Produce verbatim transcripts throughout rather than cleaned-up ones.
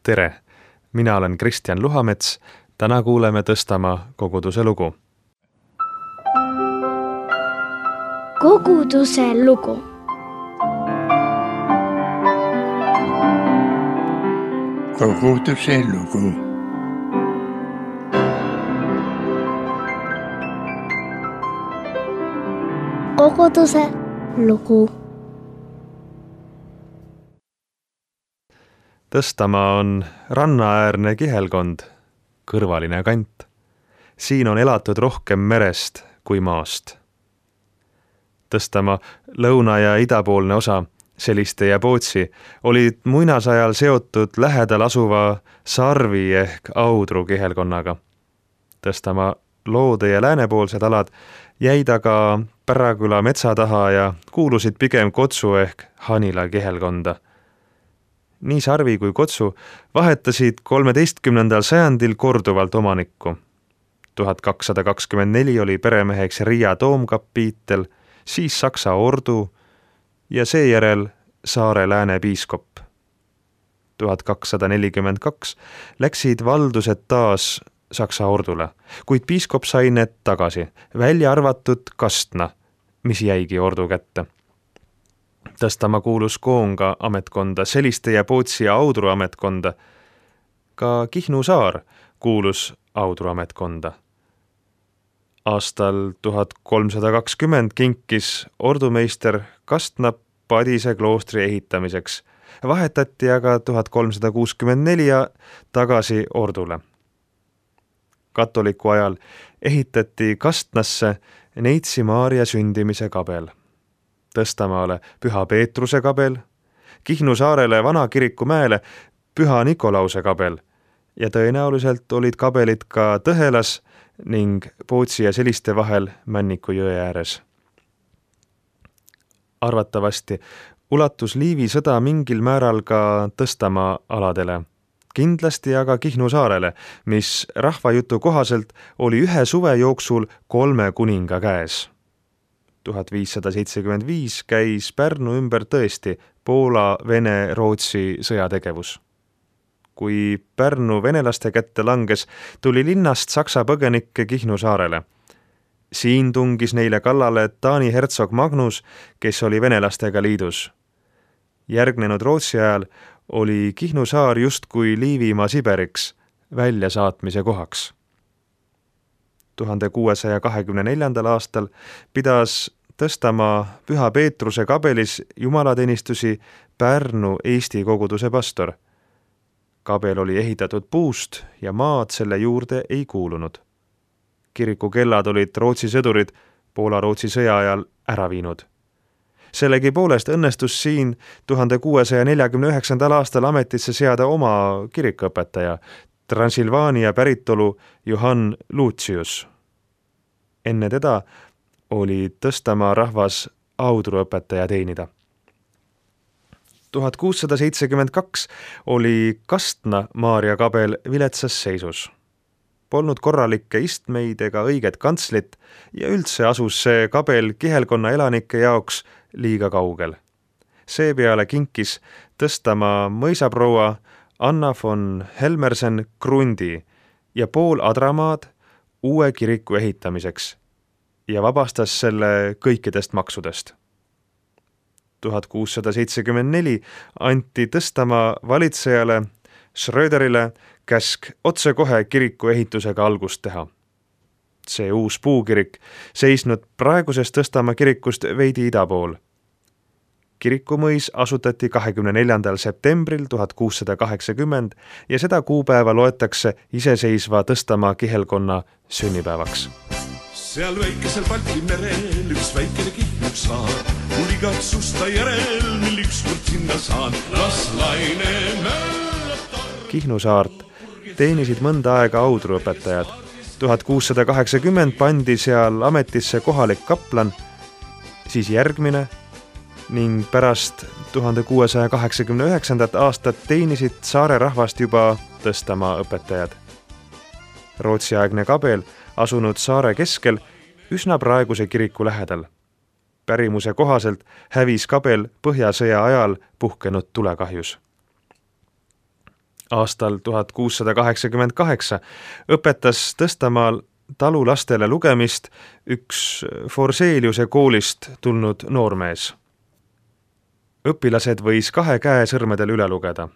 Tere! Mina olen Kristjan Luhamets. Täna kuuleme Tõstamaa koguduse lugu. Koguduse lugu. Koguduse lugu. Koguduse lugu. Tõstamaa on rannaäärne kihelkond, kõrvaline kant. Siin on elatud rohkem merest kui maast. Tõstamaa lõuna- ja idapoolne osa, Seliste ja Pootsi, olid muinasajal seotud lähedal asuva Sarvi ehk Audru kihelkonnaga. Tõstamaa loode- ja läänepoolsed alad jäid aga Päraküla metsa taha ja kuulusid pigem Kotsu ehk Hanila kihelkonda. Nii Sarvi kui Kotsu vahetasid kolmeteistkümnendal sajandil korduvalt omanikku. tuhat kakssada kakskümmend neli oli peremeheks Riia toomkapiitel, siis Saksa ordu ja seejärel Saare lääne piiskop. tuhat kakssada nelikümmend kaks läksid valdused taas Saksa ordule, kuid piiskop sai need tagasi, välja arvatud Kastna, mis jäigi ordu kätte. Tõstamaa kuulus Koonga ametkonda, Seliste ja Pootsi ja Audru ametkonda. Ka Kihnu saar kuulus Audru ametkonda. Aastal tuhat kolmsada kakskümmend kinkis ordumeister Kastna Padise kloostri ehitamiseks. Vahetati aga tuhat kolmsada kuuskümmend neli tagasi ordule. Katoliku ajal ehitati Kastnasse Neitsi Maaria sündimise kabel. Tõstamaale Püha Peetruse kabel, Kihnu saarele Vana kiriku mäele Püha Nikolause kabel ja tõenäoliselt olid kabelid ka Tõhelas ning Pootsi ja Seliste vahel Männiku jõe ääres. Arvatavasti ulatus Liivi sõda mingil määral ka Tõstamaa aladele, kindlasti aga Kihnu saarele, mis rahvajutu kohaselt oli ühe suve jooksul kolme kuninga käes. tuhat viissada seitsekümmend viis käis Pärnu ümber tõesti Poola, Vene, Rootsi sõjategevus. Kui Pärnu venelaste kätte langes, tuli linnast Saksa põgenikke Kihnu saarele. Siin tungis neile kallale Taani hertsog Magnus, kes oli venelastega liidus. Järgnenud Rootsi ajal oli Kihnu saar justkui Liivimaa Siberiks, väljasaatmise kohaks. tuhande kuuesaja kahekümne neljandal aastal pidas Tõstamaa Püha Peetruse kabelis jumalateenistusi Pärnu Eesti koguduse pastor. Kabel oli ehitatud puust ja maad selle juurde ei kuulunud. Kiriku kellad olid Rootsi sõdurid Poola-Rootsi sõja ajal ära viinud. Sellegi poolest õnnestus siin tuhande kuuesaja neljakümne üheksandal aastal ametisse seada oma kirikuõpetaja, Transilvaania päritolu Johann Lucius. Enne teda oli Tõstamaa rahvas Audru õpetaja teenida. tuhat kuussada seitsekümmend kaks oli Kastna Maaria kabel viletsas seisus. Polnud korralikke istmeid ega õiget kantslit ja üldse asus see kabel kihelkonna elanike jaoks liiga kaugel. Seepeale kinkis Tõstamaa mõisaproua Anna von Helmersen krundi ja pool adramaad uue kiriku ehitamiseks ja vabastas selle kõikidest maksudest. tuhat kuussada seitsekümmend neli anti Tõstamaa valitsejale Schröderile käsk otsekohe kiriku ehitusega algust teha. See uus puukirik seisnud praegusest Tõstamaa kirikust veidi ida pool. Kirikumõis asutati kahekümne neljandal septembril tuhat kuussada kaheksakümmend ja seda kuupäeva loetakse iseseisva Tõstamaa kihelkonna sünnipäevaks. Seal väikesel Balti merel üks väikene Kihnu saar, mul igatsusta järel, mil ükskord sinna saan, las laine möllatab. Kihnu saart teenisid mõnda aega Audru õpetajad. tuhat kuussada kaheksakümmend pandi seal ametisse kohalik kaplan, siis järgmine ning pärast tuhande kuuesaja kaheksakümne üheksandat aastat teenisid saare rahvast juba Tõstamaa õpetajad. Rootsi-aegne kabel asunud saare keskel üsna praeguse kiriku lähedal. Pärimuse kohaselt hävis kabel Põhjasõja ajal puhkenud tulekahjus. Aastal tuhat kuussada kaheksakümmend kaheksa õpetas Tõstamaal talulastele lugemist üks Forseliuse koolist tulnud noormees. Õpilased võis kahe käe sõrmedel üle lugeda.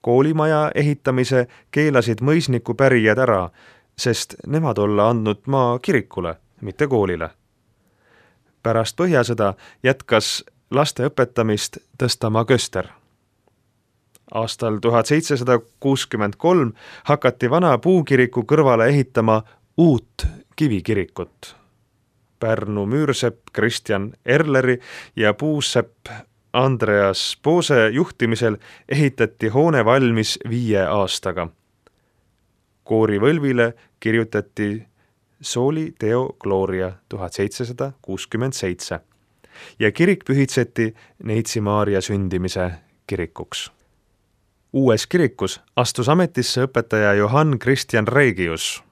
Koolimaja ehitamise keelasid mõisniku pärijad ära, sest nemad olla andnud maa kirikule, mitte koolile. Pärast Põhjasõda jätkas laste õpetamist Tõstamaa köster. Aastal tuhat seitsesada kuuskümmend kolm hakati vana puukiriku kõrvale ehitama uut kivikirikut. Pärnu müürsepp Kristjan Erleri ja puusepp Andreas Poose juhtimisel ehitati hoone valmis viie aastaga. Koorivõlvile kirjutati Soli Deo Gloria tuhat seitsesada kuuskümmend seitse ja kirik pühitseti Neitsi Maaria sündimise kirikuks. Uues kirikus astus ametisse õpetaja Johann Christian Regius.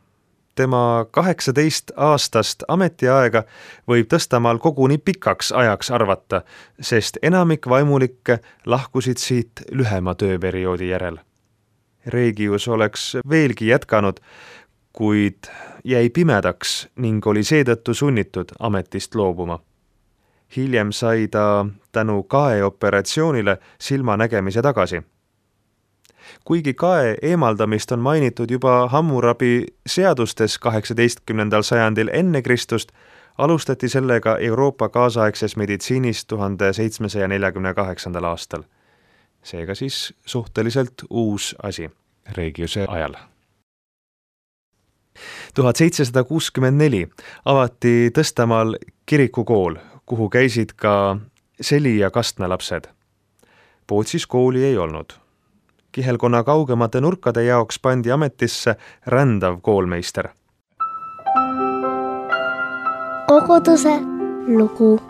Tema kaheksateist aastast ametiaega võib Tõstamaal koguni pikaks ajaks arvata, sest enamik vaimulikke lahkusid siit lühema tööperioodi järel. Regius oleks veelgi jätkanud, kuid jäi pimedaks ning oli seetõttu sunnitud ametist loobuma. Hiljem sai ta tänu kaeoperatsioonile silmanägemise tagasi. Kuigi kae eemaldamist on mainitud juba Hammurabi seadustes kaheksateistkümnendal sajandil enne Kristust, alustati sellega Euroopa kaasaegses meditsiinis tuhande seitsmesaja neljakümne kaheksandal aastal. Seega siis suhteliselt uus asi Regiuse ajal. tuhat seitsesada kuuskümmend neli avati Tõstamaal kirikukool, kuhu käisid ka seli- ja kastmelapsed. Pootsis kooli ei olnud. Kihelkonna kaugemate nurkade jaoks pandi ametisse rändav koolmeister. Koguduse lugu.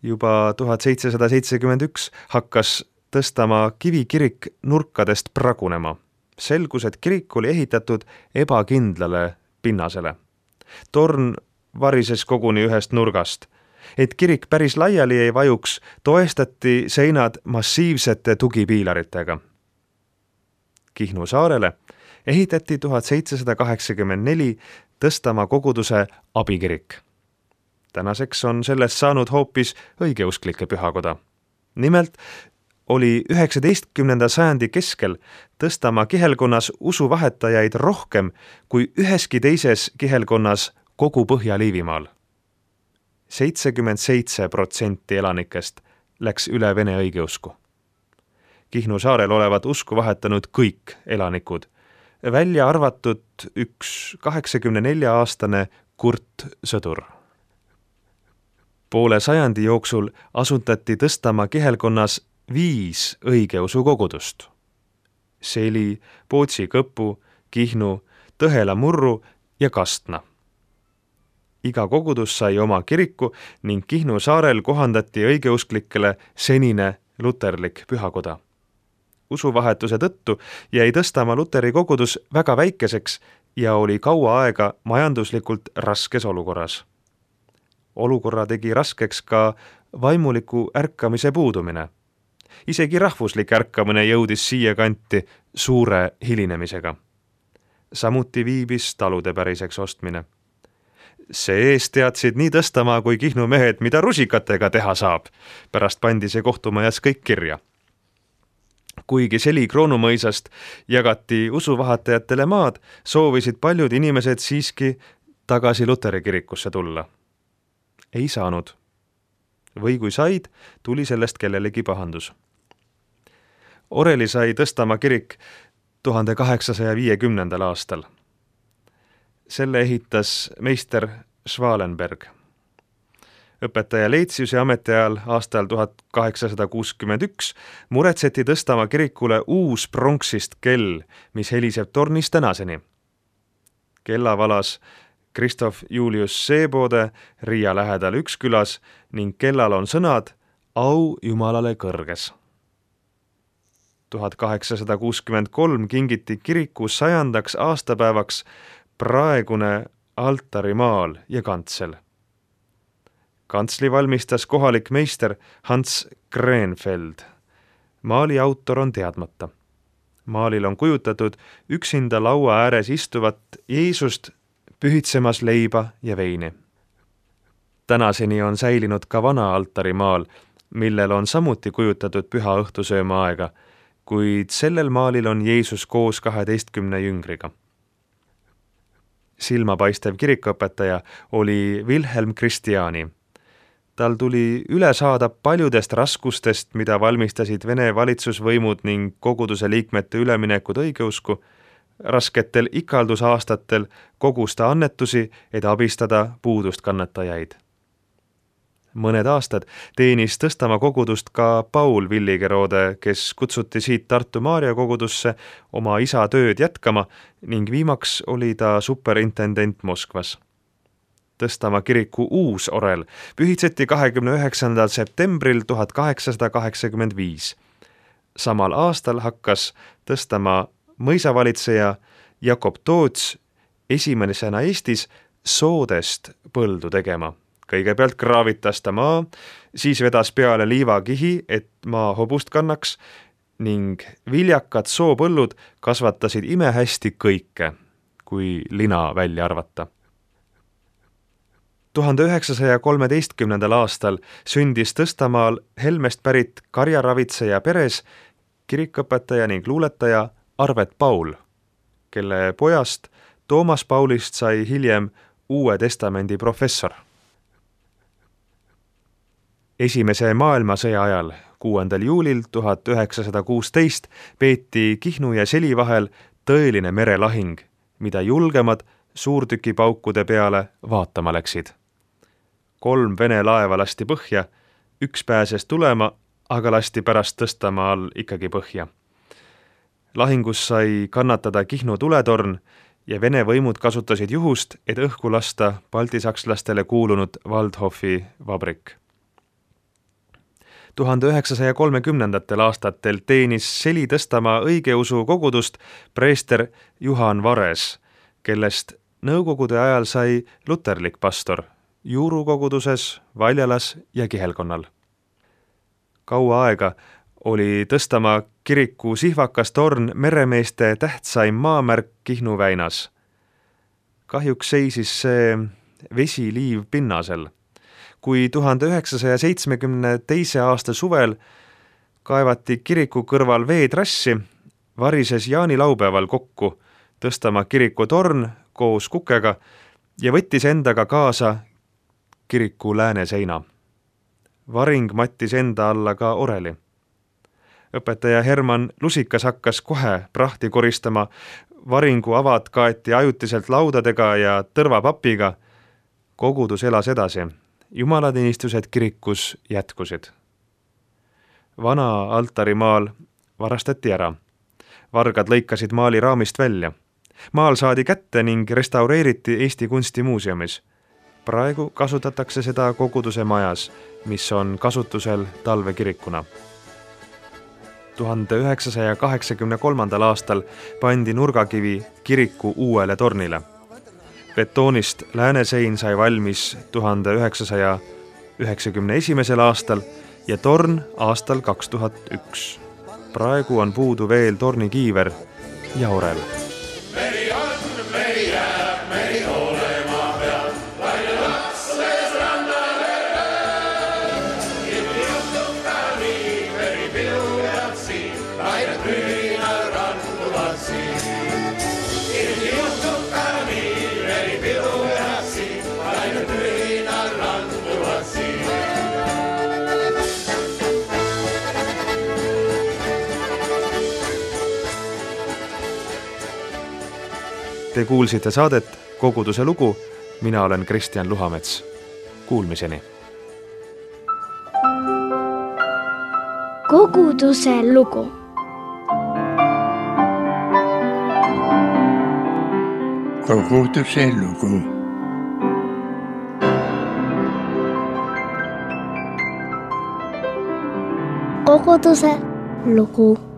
Juba tuhat seitsesada seitsekümmend üks hakkas Tõstamaa kivikirik nurkadest pragunema. Selgus, et kirik oli ehitatud ebakindlale pinnasele. Torn varises koguni ühest nurgast. Et kirik päris laiali ei vajuks, toestati seinad massiivsete tugipiilaritega. Kihnu saarele ehitati tuhat seitsesada kaheksakümmend neli Tõstamaa koguduse abikirik. Tänaseks on sellest saanud hoopis õigeusklike pühakoda. Nimelt oli üheksateistkümnenda sajandi keskel Tõstamaa kihelkonnas usuvahetajaid rohkem kui üheski teises kihelkonnas kogu Põhja-Liivimaal. seitsekümmend seitse protsenti elanikest läks üle vene õigeusku. Kihnu saarel olevat usku vahetanud kõik elanikud, välja arvatud üks kaheksakümne nelja aastane Kurt sõdur. Poole sajandi jooksul asutati Tõstamaa kihelkonnas viis õigeusu kogudust. Seli, Pootsi Kõpu, Kihnu, Tõhela Murru ja Kastna. Iga kogudus sai oma kiriku ning Kihnu saarel kohandati õigeusklikele senine luterlik pühakoda. Usuvahetuse tõttu jäi Tõstamaa luteri kogudus väga väikeseks ja oli kaua aega majanduslikult raskes olukorras. Olukorra tegi raskeks ka vaimuliku ärkamise puudumine. Isegi rahvuslik ärkamine jõudis siia kanti suure hilinemisega. Samuti viibis talude päriseks ostmine. See eest teadsid nii Tõstamaa kui Kihnu mehed, mida rusikatega teha saab. Pärast pandi see kohtumajas kõik kirja. Kuigi Seli Kroonumõisast jagati usuvahetajatele maad, soovisid paljud inimesed siiski tagasi luteri kirikusse tulla. Ei saanud. Või kui said, tuli sellest kellelegi pahandus. Oreli sai Tõstamaa kirik tuhande kaheksasaja viiekümnendal aastal. Selle ehitas meister Schwalenberg. Õpetaja Leitsiuse ametiajal aastal tuhat kaheksasada kuuskümmend üks muretseti Tõstamaa kirikule uus pronksist kell, mis heliseb tornis tänaseni. Kella valas Kristof Julius Seebode Riia lähedal Ükskülas ning kellal on sõnad au Jumalale kõrges. tuhat kaheksasada kuuskümmend kolm kingiti kiriku sajandaks aastapäevaks praegune altarimaal ja kantsel. Kantsli valmistas kohalik meister Hans Grenfeld. Maali autor on teadmata. Maalil on kujutatud üksinda laua ääres istuvat Jeesust pühitsemas leiba ja veini. Tänaseni on säilinud ka vana altarimaal, millel on samuti kujutatud püha õhtusööma aega, kuid sellel maalil on Jeesus koos kaheteistkümne jüngriga. Silmapaistev kirikuõpetaja oli Wilhelm Christiani. Tal tuli üle saada paljudest raskustest, mida valmistasid Vene valitsusvõimud ning koguduse liikmete üleminekud õigeusku. Rasketel ikaldusaastatel kogus ta annetusi, et abistada puudust kannatajaid. Mõned aastad teenis Tõstamaa kogudust ka Paul Villigerode, kes kutsuti siit Tartu Maarja kogudusse oma isa tööd jätkama ning viimaks oli ta superintendent Moskvas. Tõstamaa kiriku uus orel pühitseti kahekümne üheksandal septembril tuhat kaheksasada kaheksakümmend viis. Samal aastal hakkas Tõstamaa mõisavalitseja Jakob Toots esimesena Eestis soodest põldu tegema. Kõigepealt kraavitas ta maa, siis vedas peale liivakihi, et maa hobust kannaks ning viljakad soopõllud kasvatasid imehästi kõike, kui lina välja arvata. tuhande üheksasaja kolmeteistkümnendal aastal sündis Tõstamaal Helmest pärit karjaravitseja peres kirikuõpetaja ning luuletaja Arvet Paul, kelle pojast Toomas Paulist sai hiljem Uue Testamendi professor. Esimese maailmasõja ajal, kuuendal juulil tuhat üheksasada kuusteist, peeti Kihnu ja Seli vahel tõeline merelahing, mida julgemad suurtükipaukude peale vaatama läksid. Kolm Vene laeva lasti põhja, üks pääses tulema, aga lasti pärast Tõstamaal ikkagi põhja. Lahingus sai kannatada Kihnu tuletorn ja Vene võimud kasutasid juhust, et õhku lasta baltisakslastele kuulunud Waldhofi vabrik. tuhande üheksasaja kolmekümnendatel aastatel teenis Seli Tõstamaa õigeusu kogudust preester Juhan Vares, kellest nõukogude ajal sai luterlik pastor Juuru koguduses, Valjalas ja Kihelkonnal. Kaua aega oli Tõstamaa kiriku sihvakas torn meremeeste tähtsaim maamärk Kihnu väinas. Kahjuks seisis see vesiliiv pinnasel. Kui tuhande üheksasaja seitsmekümne teise aasta suvel kaevati kiriku kõrval veetrassi, varises jaanilaupäeval kokku Tõstamaa kiriku torn koos kukega ja võttis endaga kaasa kiriku lääneseina. Varing mattis enda alla ka oreli. Õpetaja Herman Lusikas hakkas kohe prahti koristama, varingu avad kaeti ajutiselt laudadega ja tõrvapapiga. Kogudus elas edasi. Jumalateenistused kirikus jätkusid. Vana altarimaal varastati ära. Vargad lõikasid maali raamist välja. Maal saadi kätte ning restaureeriti Eesti Kunstimuuseumis. Praegu kasutatakse seda koguduse majas, mis on kasutusel talvekirikuna. tuhande üheksasaja kaheksakümne kolmandal aastal pandi nurgakivi kiriku uuele tornile. Betoonist läänesein sai valmis tuhande üheksasaja üheksakümne esimesel aastal ja torn aastal kaks tuhat üks. Praegu on puudu veel tornikiiver ja orel. Meri on, meri jääb, meri olema peab, laine lasles rannale lööb. Ilmi juhtub ka nii, meri pilujab siin, laine püünal randuvad siin. Ilmi juhtub ka nii, meri pilujab siin, laine püünal randuvad siin. Te kuulsite saadet Koguduse lugu, mina olen Kristjan Luhamets. Kuulmiseni! Koguduse lugu. Koguduse lugu. Koguduse lugu.